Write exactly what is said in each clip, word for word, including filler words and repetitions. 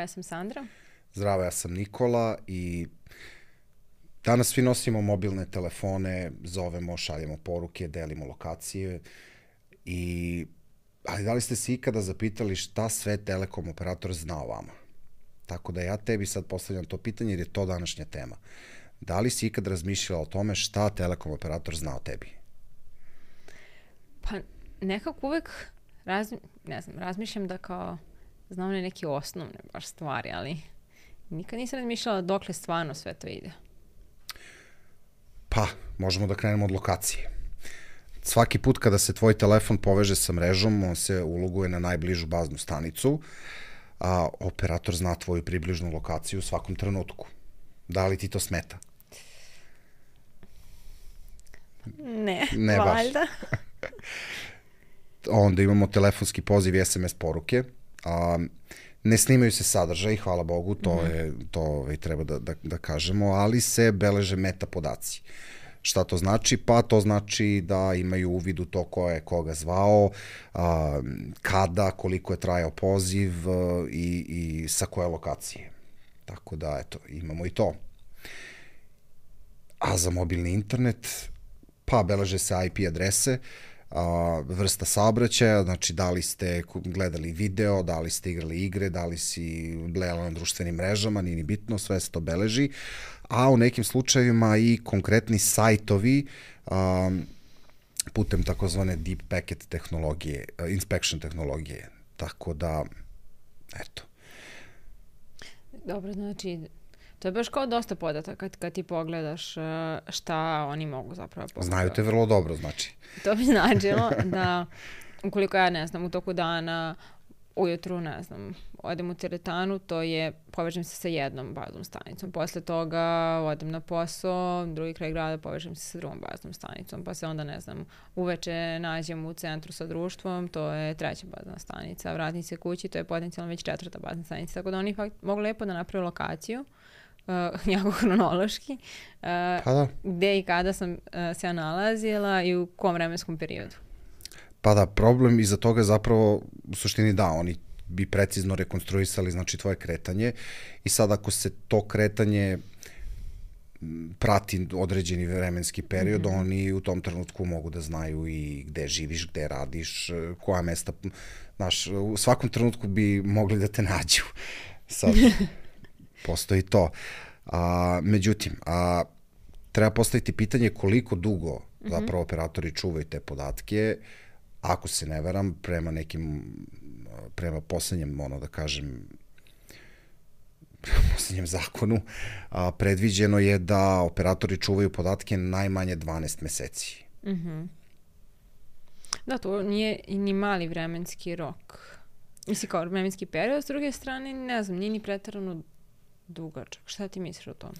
ja sam Sandra. Zdravo, ja sam Nikola i danas svi nosimo mobilne telefone, zovemo, šaljemo poruke, delimo lokacije, i, ali da li ste se ikada zapitali šta sve telekom operator zna o vama? Tako da ja tebi sad postavljam to pitanje jer je to današnja tema. Da li si ikad razmišljala o tome šta telekom operator zna o tebi? Pa nekako uvek razmi, ne znam, razmišljam da kao znam ne neke osnovne baš stvari, ali nikad nisam razmišljala dokle stvarno sve to ide. Pa, možemo da krenemo od lokacije. Svaki put kada se tvoj telefon poveže sa mrežom, on se uloguje na najbližu baznu stanicu, a operator zna tvoju približnu lokaciju u svakom trenutku. Da li ti to smeta? Ne, ne valjda. Onda imamo telefonski poziv i es em es poruke. A, ne snimaju se sadržaj, hvala Bogu, to, mm-hmm. je, to ovaj, treba da, da, da kažemo, ali se beleže meta podaci. Šta to znači? Pa to znači da imaju uvid u to ko je koga zvao, a, kada, koliko je trajao poziv a, i, i sa koje lokacije. Tako da, eto, imamo i to. A za mobilni internet, pa beleže se i pe adrese, a, vrsta saobraćaja, znači da li ste gledali video, da li ste igrali igre, da li si blejala na društvenim mrežama, nije ni bitno, sve se to beleži. A u nekim slučajevima i konkretni sajtovi a, putem takozvane deep packet tehnologije, inspection tehnologije. Tako da, eto. Dobro, znači, to je baš kao dosta podataka kad, kad ti pogledaš šta oni mogu zapravo pogledati. Znaju te vrlo dobro, znači. To bi značilo da, ukoliko ja, ne znam, u toku dana, ujutru, ne znam, odem u teretanu, to je, povežem se sa jednom baznom stanicom. Posle toga odem na posao, drugi kraj grada, povežem se sa drugom baznom stanicom. Pa se onda, ne znam, uveče nađem u centru sa društvom, to je treća bazna stanica. Vratim se kući, to je potencijalno već četvrta bazna stanica. Tako da oni fakt mogu lepo da naprave lokaciju, uh, jako hronološki, uh, pa da. gde i kada sam uh, se ja nalazila i u kom vremenskom periodu. Pa da, problem iza toga je zapravo, u suštini da, oni bi precizno rekonstruisali, znači, tvoje kretanje i sad ako se to kretanje prati određeni vremenski period, mm-hmm. oni u tom trenutku mogu da znaju i gde živiš, gde radiš, koja mesta, znaš, u svakom trenutku bi mogli da te nađu. Sad, postoji to. A, međutim, a, treba postaviti pitanje koliko dugo mm-hmm. zapravo operatori čuvaju te podatke. Ako se ne varam, prema nekim, prema poslednjem, ono da kažem, prema poslednjem zakonu, a, predviđeno je da operatori čuvaju podatke najmanje dvanaest meseci. Mm-hmm. Da, to nije ni mali vremenski rok. Mislim, kao vremenski period, s druge strane, ne znam, nije ni preterano dugačak. Šta ti misliš o tome?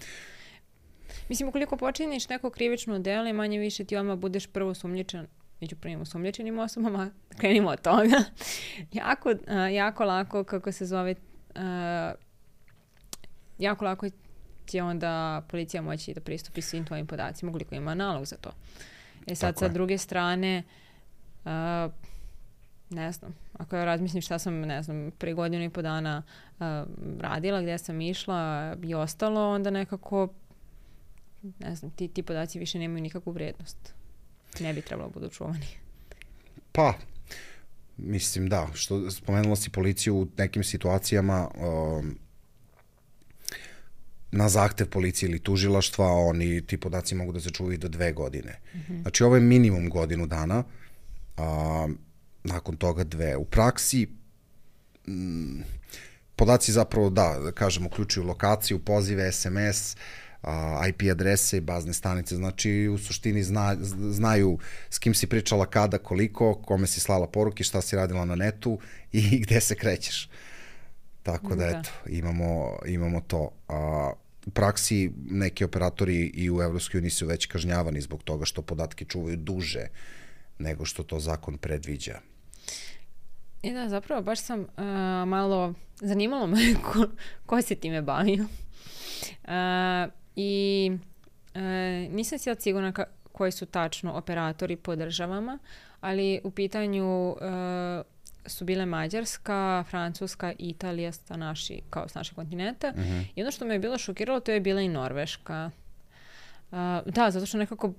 Mislim, ukoliko počiniš neko krivično delo i manje više ti odmah budeš prvo sumnjičan među prvim osumnjičenim osobama, krenimo od toga. jako, uh, jako lako, kako se zove, uh, jako lako će onda policija moći da pristupi svim tvojim podacima, ukoliko ima nalog za to. E sad, tako sa je. Druge strane, uh, ne znam, ako ja razmislim šta sam, ne znam, pre godinu i po dana uh, radila, gde sam išla i ostalo, onda nekako, ne znam, ti, ti podaci više nemaju nikakvu vrednost. Ne bi trebalo budu čuvani. Pa, mislim da, što spomenula si policiju u nekim situacijama, um, na zahtev policije ili tužilaštva, oni, ti podaci mogu da se čuvaju do dve godine. Mm-hmm. Znači, ovo je minimum godinu dana, a nakon toga dve. U praksi, m, podaci zapravo, da, da kažem, uključuju lokaciju, pozive, es em es, i pe adrese i bazne stanice, znači u suštini zna, znaju s kim si pričala kada, koliko, kome si slala poruke, šta si radila na netu i gde se krećeš. Tako da, eto, imamo, imamo to. A, u praksi neki operatori i u Evropskoj uniji su već kažnjavani zbog toga što podatke čuvaju duže nego što to zakon predviđa. I da, zapravo baš sam uh, malo, zanimalo me ko, ko se time bavio. Uh, I uh, nisam si sigurna ka, koji su tačno operatori po državama, ali u pitanju uh, su bile Mađarska, Francuska i Italija sa naši, kao s našeg kontinenta. Mm-hmm. I ono što me je bilo šokiralo, to je bila i Norveška. Uh, da, zato što nekako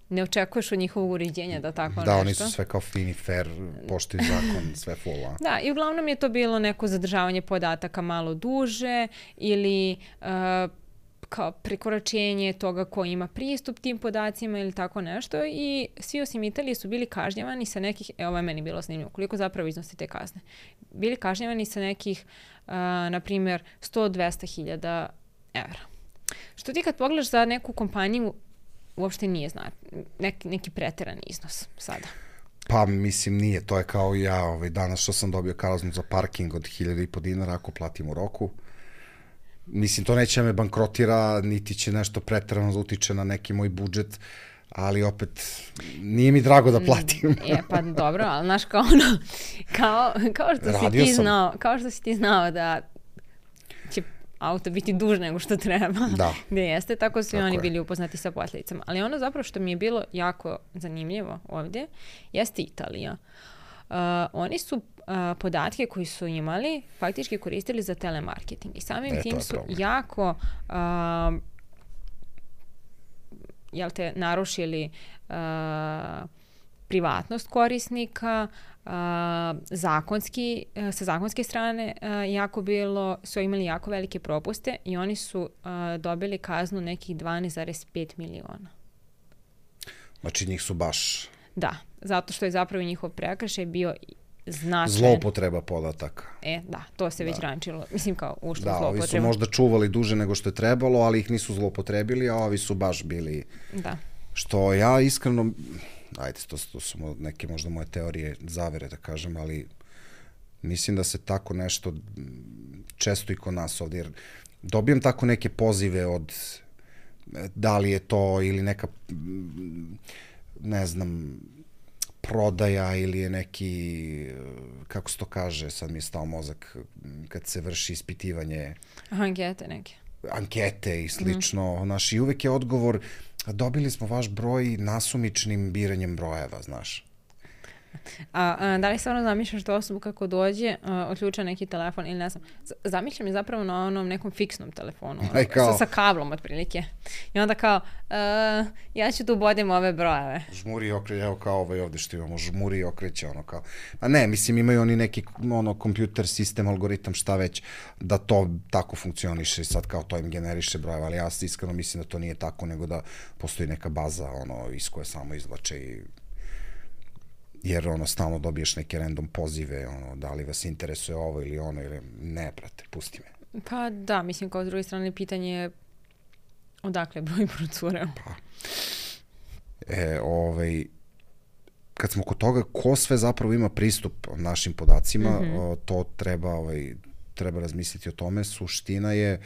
ne očekuješ od njihovog uređenja da tako da, nešto. Da, oni su sve kao fini, fair, poštuju zakon, sve full. A? Da, i uglavnom je to bilo neko zadržavanje podataka malo duže ili uh, kao prekoračenje toga ko ima pristup tim podacima ili tako nešto i svi osim Italije su bili kažnjavani sa nekih, e, ovo je meni bilo snimljivo, koliko zapravo iznosi te kazne. Bili kažnjavani sa nekih, uh, na primjer, sto do dvesta hiljada evra. Što ti kad pogledaš za neku kompaniju, uopšte nije zna, neki, neki preterani iznos sada. Pa mislim nije, to je kao ja ovaj, danas što sam dobio kaznu za parking od hiljada i po dinara ako platim u roku. Mislim, to neće me bankrotira, niti će nešto preterano da utiče na neki moj budžet, ali opet nije mi drago da platim. Je, pa dobro, ali znaš kao ono, kao, kao što Radio si ti sam. znao, kao što si ti znao da će auto biti duže nego što treba, da. Gde jeste, tako su i oni je. bili upoznati sa posljedicama. Ali ono zapravo što mi je bilo jako zanimljivo ovdje, jeste Italija. Uh, oni su uh, podatke koji su imali faktički koristili za telemarketing i samim e, tim su problem. jako uh, jel te, narušili uh, privatnost korisnika, uh, zakonski, uh, sa zakonske strane uh, jako bilo, su imali jako velike propuste i oni su uh, dobili kaznu nekih dvanaest zarez pet miliona. Znači njih su baš... Da, zato što je zapravo njihov prekršaj bio značajan. Zloupotreba podataka. E, da, to se da. već rančilo. Mislim kao ušlo da, zloupotreba. Da, ovi su možda čuvali duže nego što je trebalo, ali ih nisu zloupotrebili, a ovi su baš bili... Da. Što ja iskreno... Ajde, to, to su neke možda moje teorije zavere, da kažem, ali mislim da se tako nešto često i kod nas ovdje, jer dobijem tako neke pozive od da li je to ili neka, ne znam, prodaja ili je neki, kako se to kaže, sad mi je stao mozak, kad se vrši ispitivanje. Ankete neke. Ankete i slično. Mm. Znaš, i uvek je odgovor, dobili smo vaš broj nasumičnim biranjem brojeva, znaš. A, a da li stvarno zamišljaš tu osobu kako dođe, a, otključa neki telefon ili ne znam, zamišljam je zapravo na onom nekom fiksnom telefonu, ono, kao, sa, sa kablom otprilike. I onda kao, a, ja ću tu bodim ove brojeve. Žmuri i okreće, evo kao ovaj ovde što imamo, žmuri i okreće, ono kao. A ne, mislim imaju oni neki ono, kompjuter, sistem, algoritam, šta već, da to tako funkcioniše i sad kao to im generiše brojeve, ali ja iskreno mislim da to nije tako, nego da postoji neka baza ono, iz koje samo izvlače i jer ono stalno dobiješ neke random pozive, ono, da li vas interesuje ovo ili ono, ili ne, brate, pusti me. Pa da, mislim, kao s druge strane, pitanje je odakle broj procureo. Pa, e, ovaj, kad smo kod toga, ko sve zapravo ima pristup našim podacima, mm-hmm. o, to treba, ovaj, treba razmisliti o tome. Suština je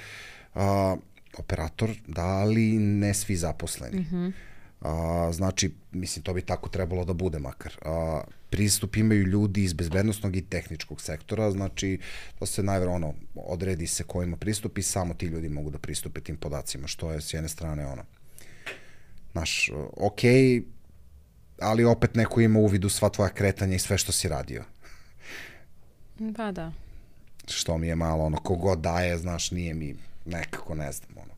a, operator, da, ali ne svi zaposleni. Mm-hmm. A, znači, mislim, to bi tako trebalo da bude makar. A, pristup imaju ljudi iz bezbednostnog i tehničkog sektora, znači, to se najvjerojatno ono, odredi se ko ima pristup i samo ti ljudi mogu da pristupe tim podacima, što je s jedne strane ono, znaš, okej, okay, ali opet neko ima uvid u sva tvoja kretanja i sve što si radio. Pa da. Što mi je malo, ono, kogod daje, znaš, nije mi nekako, ne znam, ono.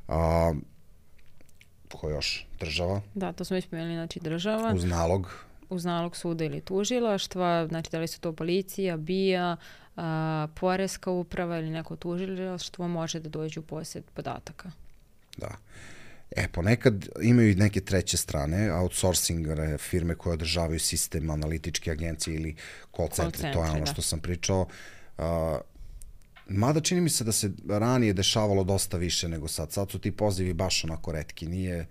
A, ko još? Država? Da, to smo već pomenuli, znači država. Uz nalog. Uz nalog suda ili tužilaštva, znači da li su to policija, B I A, a, poreska uprava ili neko tužilaštvo može da dođe u posjed podataka. Da. E, ponekad imaju i neke treće strane, outsourcing firme koje održavaju sistem, analitičke agencije ili call centre, to je ono što sam pričao. Uh, Mada čini mi se da se ranije dešavalo dosta više nego sad. Sad su ti pozivi baš onako retki. Nije...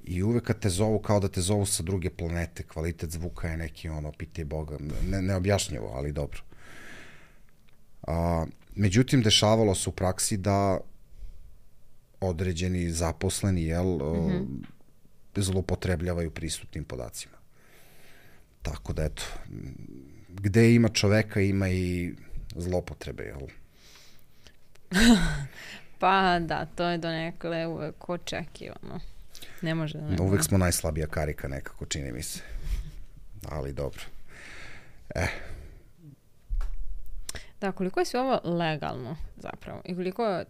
I uvek kad te zovu kao da te zovu sa druge planete, kvalitet zvuka je neki ono, pite Boga, ne, neobjašnjivo, ali dobro. A, međutim, dešavalo se u praksi da određeni zaposleni, jel, mm-hmm. zloupotrebljavaju pristupnim podacima. Tako da, eto, gde ima čoveka, ima i zloupotrebe, jel? Pa da, to je donekle uvek očekivano. Ne može da ne. Uvek smo najslabija karika nekako, čini mi se. Ali dobro. Eh. Da, koliko je sve ovo legalno zapravo i koliko je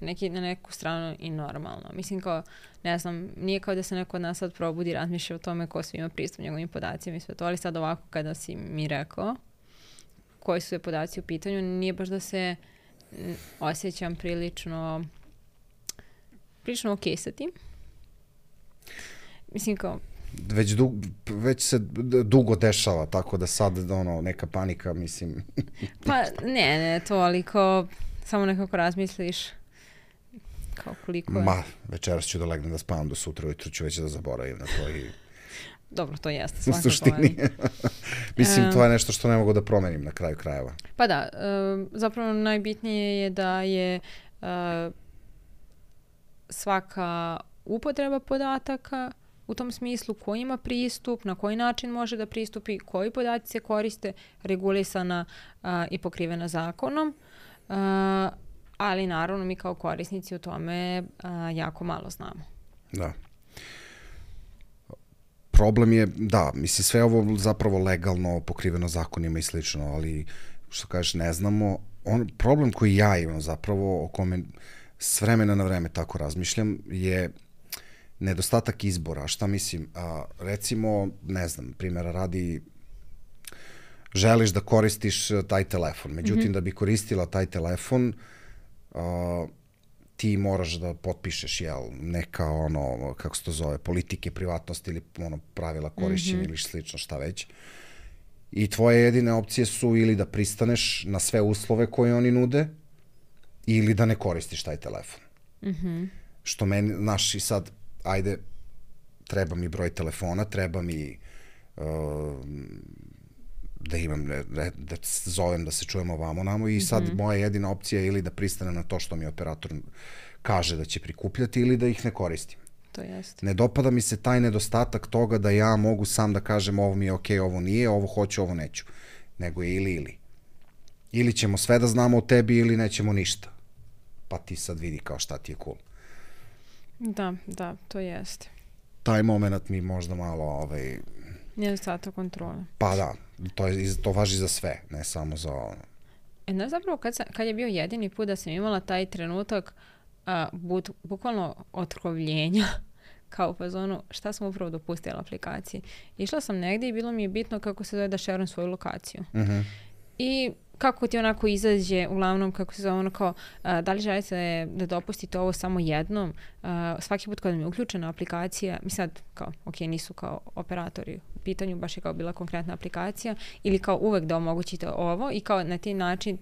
neki, na neku stranu i normalno. Mislim kao, ne znam, nije kao da se neko od nas sad probudi razmišlja o tome ko svi ima pristup njegovim podacima i sve to, ali sad ovako kada si mi rekao koji su sve podaci u pitanju, nije baš da se osjećam prilično prilično okej sa tim. Mislim kao... Već, du, već se dugo dešava, tako da sad ono, neka panika, mislim... Pa ne, ne, to, ali kao samo nekako razmisliš kao koliko je... Ma, večeras ću da legnem da spavam do sutra, ujutru ću već da zaboravim na to i... Dobro, to jeste. U suštini. Mislim, to je nešto što ne mogu da promenim na kraju krajeva. Pa da, zapravo najbitnije je da je svaka upotreba podataka u tom smislu ko ima pristup, na koji način može da pristupi, koji podaci se koriste, regulisana i pokrivena zakonom, ali naravno mi kao korisnici u tome jako malo znamo. Da. Problem je, da, mislim, sve ovo zapravo legalno, pokriveno zakonima i slično, ali što kažeš, ne znamo. On, problem koji ja imam zapravo, o kome s vremena na vreme tako razmišljam, je nedostatak izbora. Šta mislim? A, recimo, ne znam, primjera radi, želiš da koristiš taj telefon, međutim, mm-hmm. da bi koristila taj telefon, a, ti moraš da potpišeš, jel, neka ono, kako se to zove, politike, privatnosti ili ono, pravila korišćenja mm-hmm. ili slično, šta već. I tvoje jedine opcije su ili da pristaneš na sve uslove koje oni nude ili da ne koristiš taj telefon. Mm-hmm. Što meni, znaš, i sad, ajde, treba mi broj telefona, treba mi uh, da imam, da, da zovem, da se čujemo vamo namo i sad mm-hmm. moja jedina opcija je ili da pristanem na to što mi operator kaže da će prikupljati ili da ih ne koristim. To jeste. Ne dopada mi se taj nedostatak toga da ja mogu sam da kažem ovo mi je okej, okay, ovo nije, ovo hoću, ovo neću. Nego je ili ili. Ili ćemo sve da znamo o tebi ili nećemo ništa. Pa ti sad vidi kao šta ti je cool. Da, da, to jeste. Taj moment mi možda malo ovaj... nedostatak kontrole. Pa da, to, je, to važi za sve, ne samo za ono. E, no, zapravo kad, sam, kad je bio jedini put da sam imala taj trenutak a, bud, bukvalno otkrovljenja kao u fazonu šta sam upravo dopustila aplikaciji. Išla sam negdje i bilo mi je bitno kako se zove da šerujem svoju lokaciju. Uh-huh. I kako ti onako izađe, uglavnom, kako se zove ono kao, a, da li želite da dopustite ovo samo jednom, a, svaki put kada mi je uključena aplikacija, mi sad kao, ok, nisu kao operatori u pitanju, baš je kao bila konkretna aplikacija, ili kao uvek da omogućite ovo i kao na taj način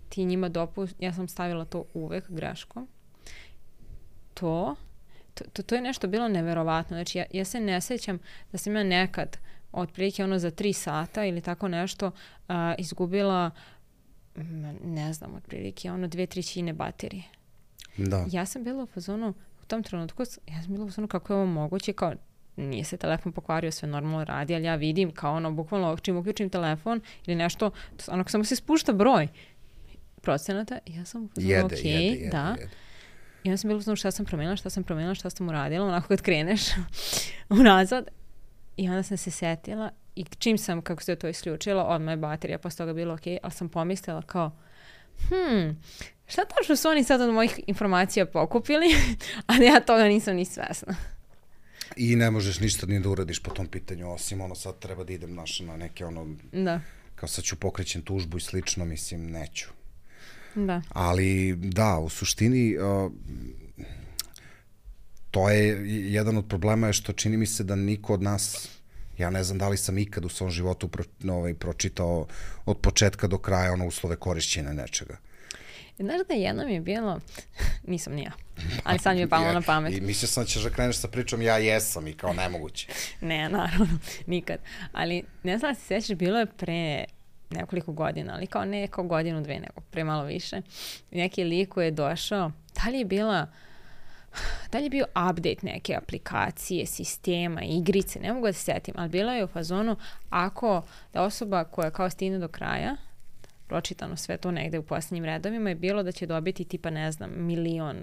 ti njima dopust, ja sam stavila to uvek greškom. To, to, to, to je nešto bilo neverovatno, znači ja, ja se ne sjećam da sam ja nekad otprilike ono za tri sata ili tako nešto uh, izgubila, ne znam, otprilike ono dve trećine baterije. Da. Ja sam bila u fazonu, u tom trenutku, ja sam bila u fazonu kako je ovo moguće, kao nije se telefon pokvario, sve normalno radi, ali ja vidim kao ono, bukvalno čim uključim telefon ili nešto, ono samo se spušta broj procenata, ja sam u fazonu, jede, okej, jede, jede, da. jede. I onda sam bila u fazonu šta sam promenila, šta sam promenila, šta sam uradila, onako kad kreneš unazad. I onda sam se setila i čim sam, kako se to isključilo, odmah je baterija posle toga bilo okej, ali sam pomislila kao, hmm, šta tačno su oni sad od mojih informacija pokupili, ali ja toga nisam ni svesna. I ne možeš ništa ni da uradiš po tom pitanju, osim ono sad treba da idem naš, na neke ono, da. Kao sad ću pokrećem tužbu i slično, mislim, neću. Da. Ali da, u suštini uh, to je jedan od problema je što čini mi se da niko od nas, ja ne znam da li sam ikad u svom životu pro, ovaj, pročitao od početka do kraja ono uslove korišćenja nečega. Znaš da jednom je bilo, nisam ni ja, ali sad mi je palo na pamet. I mislio sam da ćeš da kreneš sa pričom ja jesam i kao nemoguće. Ne, naravno, nikad. Ali ne znam da se sjećaš, bilo je pre nekoliko godina, ali kao ne kao godinu, dve, nego pre malo više. Neki lik koji je došao, da li je bila, da li je bio update neke aplikacije, sistema, igrice, ne mogu da se sjetim, ali bila je u fazonu ako da osoba koja kao stigne do kraja, pročitano sve to negde u posljednjim redovima, je bilo da će dobiti tipa, ne znam, milion,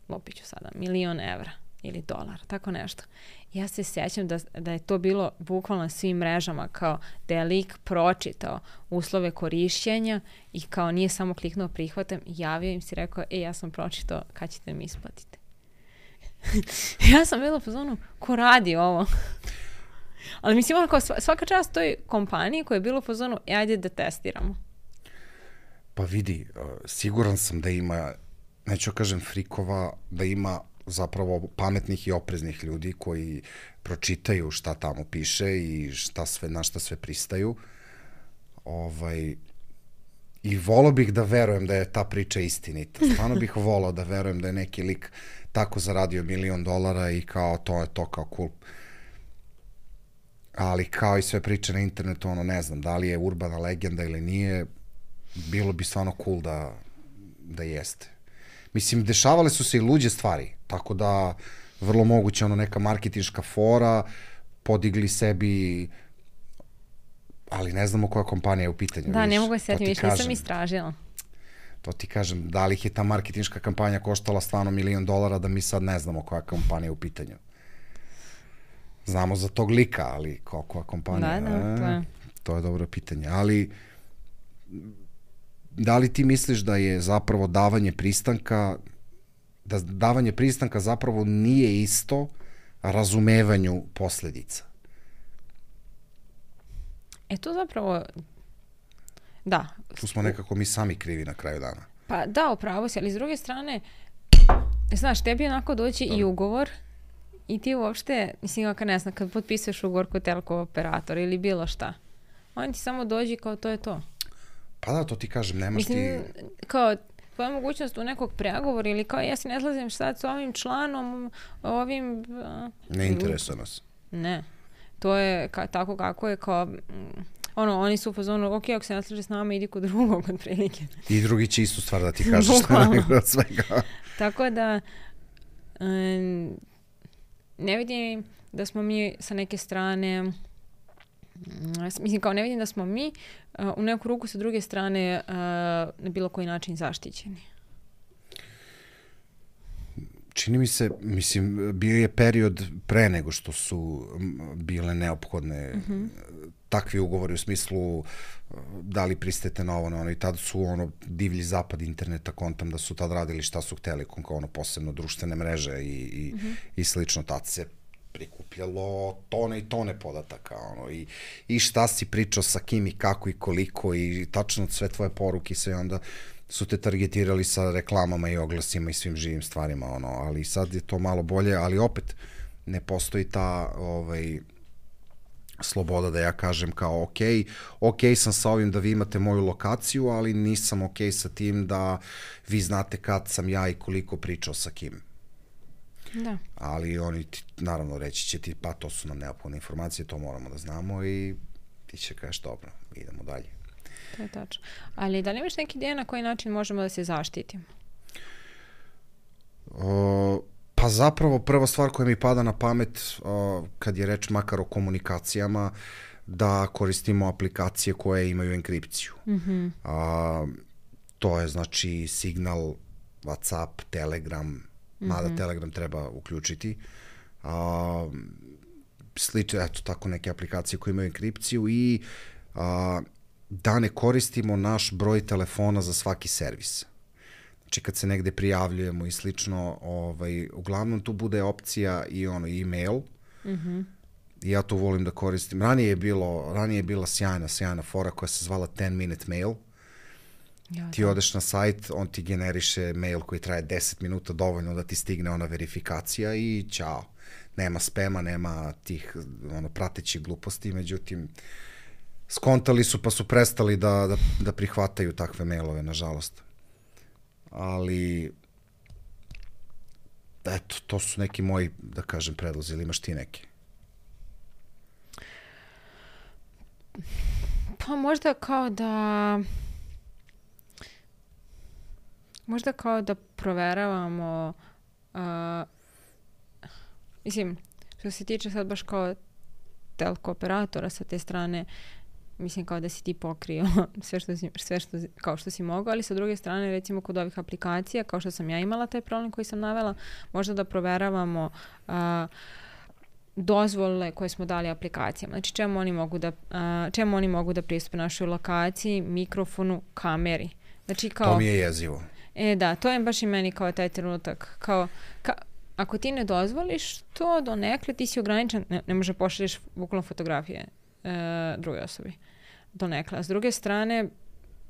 lupiću sada, milion evra. ili dolar, tako nešto. Ja se sjećam da, da je to bilo bukvalno na svim mrežama, kao da je lik pročitao uslove korišćenja i kao nije samo kliknuo prihvatam, javio im si rekao, e, ja sam pročitao, kad ćete mi isplatiti. Ja sam bila po zonu, ko radi ovo? Ali mislim, ono kao svaka čast toj kompaniji koja je bilo po zonu, e, ajde da testiramo. Pa vidi, siguran sam da ima, neću kažem frikova, da ima zapravo pametnih i opreznih ljudi koji pročitaju šta tamo piše i šta sve, na šta sve pristaju. Ovaj, I volao bih da verujem da je ta priča istinita. Stvarno bih volao da verujem da je neki lik tako zaradio milion dolara i kao to je to kao cool. Ali kao i sve priče na internetu, ono ne znam, da li je urbana legenda ili nije, bilo bi stvarno cool da, da jeste. Mislim, dešavale su se i luđe stvari, tako da vrlo moguće ono neka marketinška fora, podigli sebi, ali ne znamo koja kompanija je u pitanju. Da, viš, ne mogu se sjetiti, više nisam istražila. To ti kažem, da li ih je ta marketinška kampanja koštala stvarno milion dolara, da mi sad ne znamo koja kompanija je u pitanju. Znamo za tog lika, ali koja kompanija? Da, da, to je. To je dobro pitanje, ali da li ti misliš da je zapravo davanje pristanka, da davanje pristanka zapravo nije isto razumevanju posledica? E to zapravo, da. Tu smo nekako mi sami krivi na kraju dana. Pa da, upravo si, ali s druge strane, znaš, tebi onako doći i ugovor i ti uopšte, mislim, kad ne znam, kad potpisuješ ugovor kod teleko operatora ili bilo šta, on ti samo dođi kao to je to. Pa da, to ti kažem, nemaš mislim, ti... kao tvoja mogućnost u nekog pregovora ili kao ja se ne slazim sad s ovim članom, ovim... Ne interesuje nas. Ne. To je ka, tako kako je kao... Ono, oni su u fazonu, ok, ako se ne slaže s nama, idi kod drugog od prilike. I drugi će istu stvar da ti kaže što je najgore od svega. Tako da... Um, ne vidim da smo mi sa neke strane... Mislim, kao ne vidim da smo mi uh, u neku ruku sa druge strane uh, na bilo koji način zaštićeni. Čini mi se, mislim, bio je period pre nego što su bile neophodne mm-hmm. takvi ugovori u smislu da li pristajete na ovo, na ono, i tad su ono divlji zapad interneta, kontam da su tad radili šta su hteli, kao ono posebno društvene mreže i, i, mm-hmm. i slično, tad se prikupljalo tone i tone podataka, ono, i, i šta si pričao sa kim i kako i koliko i tačno sve tvoje poruke i sve, onda su te targetirali sa reklamama i oglasima i svim živim stvarima, ono, ali sad je to malo bolje, ali opet ne postoji ta ovaj, sloboda da ja kažem kao ok, ok sam sa ovim da vi imate moju lokaciju, ali nisam ok sa tim da vi znate kad sam ja i koliko pričao sa kim. Da. Ali oni ti, naravno, reći će ti, pa to su nam neophodne informacije, to moramo da znamo i ti će kažeš dobro, idemo dalje. To je tačno. Ali da li imaš neki ideja na koji način možemo da se zaštitimo? O, pa zapravo prva stvar koja mi pada na pamet o, kad je reč makar o komunikacijama, da koristimo aplikacije koje imaju enkripciju. Mm-hmm. A, to je znači Signal, WhatsApp, Telegram, mada mm-hmm. Telegram treba uključiti. A, slično, eto, tako neke aplikacije koje imaju enkripciju i a, da ne koristimo naš broj telefona za svaki servis. Znači kad se negde prijavljujemo i slično, ovaj, uglavnom tu bude opcija i ono e-mail. Mm-hmm. I ja to volim da koristim. Ranije je bilo, ranije je bila sjajna, sjajna fora koja se zvala ten minute mail. Ja, ti odeš na sajt, on ti generiše mail koji traje deset minuta, dovoljno da ti stigne ona verifikacija i ćao. Nema spema, nema tih ono, pratećih gluposti, međutim, skontali su pa su prestali da, da, da prihvataju takve mailove, nažalost. Ali, eto, to su neki moji, da kažem, predlozi, ili imaš ti neki? Pa možda kao da... Možda kao da proveravamo, uh, mislim, što se tiče sad baš kao telko operatora sa te strane, mislim kao da si ti pokrio sve što si, sve što, kao što si mogao, ali sa druge strane recimo kod ovih aplikacija, kao što sam ja imala taj problem koji sam navela, možda da proveravamo uh, dozvole koje smo dali aplikacijama. Znači čemu oni mogu da, uh, čemu oni mogu da pristupe našoj lokaciji, mikrofonu, kameri. Znači kao... To mi je jezivo. E da, to je baš i meni kao taj trenutak. Kao, ka, ako ti ne dozvoliš to donekle, ti si ograničen, ne, ne može pošalješ bukvalno fotografije e, druge osobi. Donekle. A s druge strane,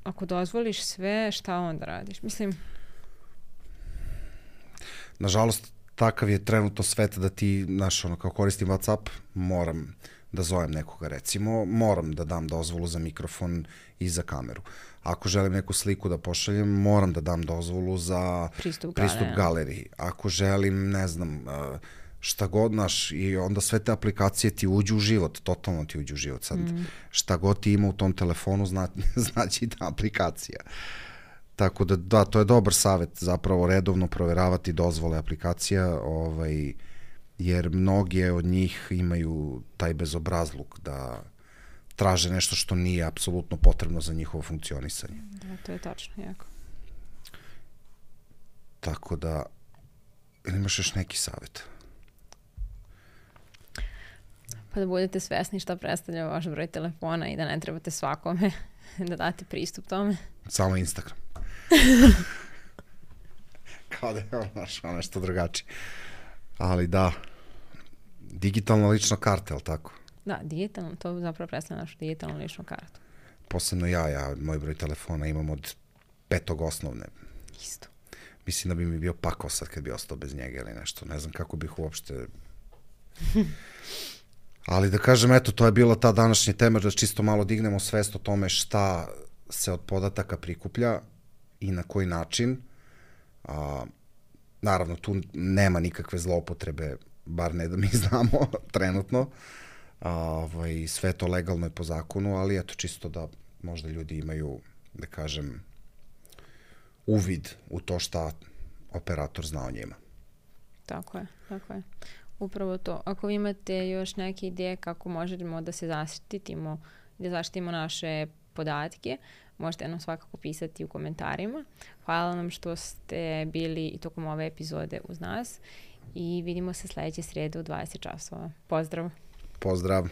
ako dozvoliš sve, šta onda radiš? Mislim... Nažalost, takav je trenutno svet da ti, znaš, ono, kao koristim WhatsApp, moram da zovem nekoga, recimo, moram da dam dozvolu za mikrofon i za kameru. Ako želim neku sliku da pošaljem, moram da dam dozvolu za pristup, pristup galeriji. Ako želim, ne znam, šta god, naš, i onda sve te aplikacije ti uđu u život, totalno ti uđu u život. Sad, mm. šta god ti ima u tom telefonu, zna, znači ta aplikacija. Tako da, da, to je dobar savjet, zapravo redovno proveravati dozvole aplikacija, ovaj, jer mnoge od njih imaju taj bezobrazluk da traže nešto što nije apsolutno potrebno za njihovo funkcionisanje. Da, to je tačno, jako. Tako da, ili imaš još neki savjet? Pa da budete svesni šta predstavlja vaš broj telefona i da ne trebate svakome da date pristup tome. Samo Instagram. Kao da je ono nešto drugačije. Ali da, digitalna lična karta, je li tako? Da, digitalno, to zapravo predstavlja našu digitalnu ličnu kartu. Posebno ja, ja, moj broj telefona imam od petog osnovne. Isto. Mislim da bi mi bio pakao sad kad bi ostao bez njega ili nešto. Ne znam kako bih uopšte... Ali da kažem, eto, to je bila ta današnja tema, da čisto malo dignemo svest o tome šta se od podataka prikuplja i na koji način. A, naravno, tu nema nikakve zloupotrebe, bar ne da mi znamo trenutno. A, ovaj, sve to legalno je po zakonu, ali eto, čisto da možda ljudi imaju, da kažem, uvid u to šta operator zna o njima. Tako je, tako je. Upravo to. Ako vi imate još neke ideje kako možemo da se zaštitimo, da zaštitimo naše podatke, možete nam svakako pisati u komentarima. Hvala nam što ste bili i tokom ove epizode uz nas i vidimo se sledeće srede u dvadeset časova. Pozdrav! Pozdrav!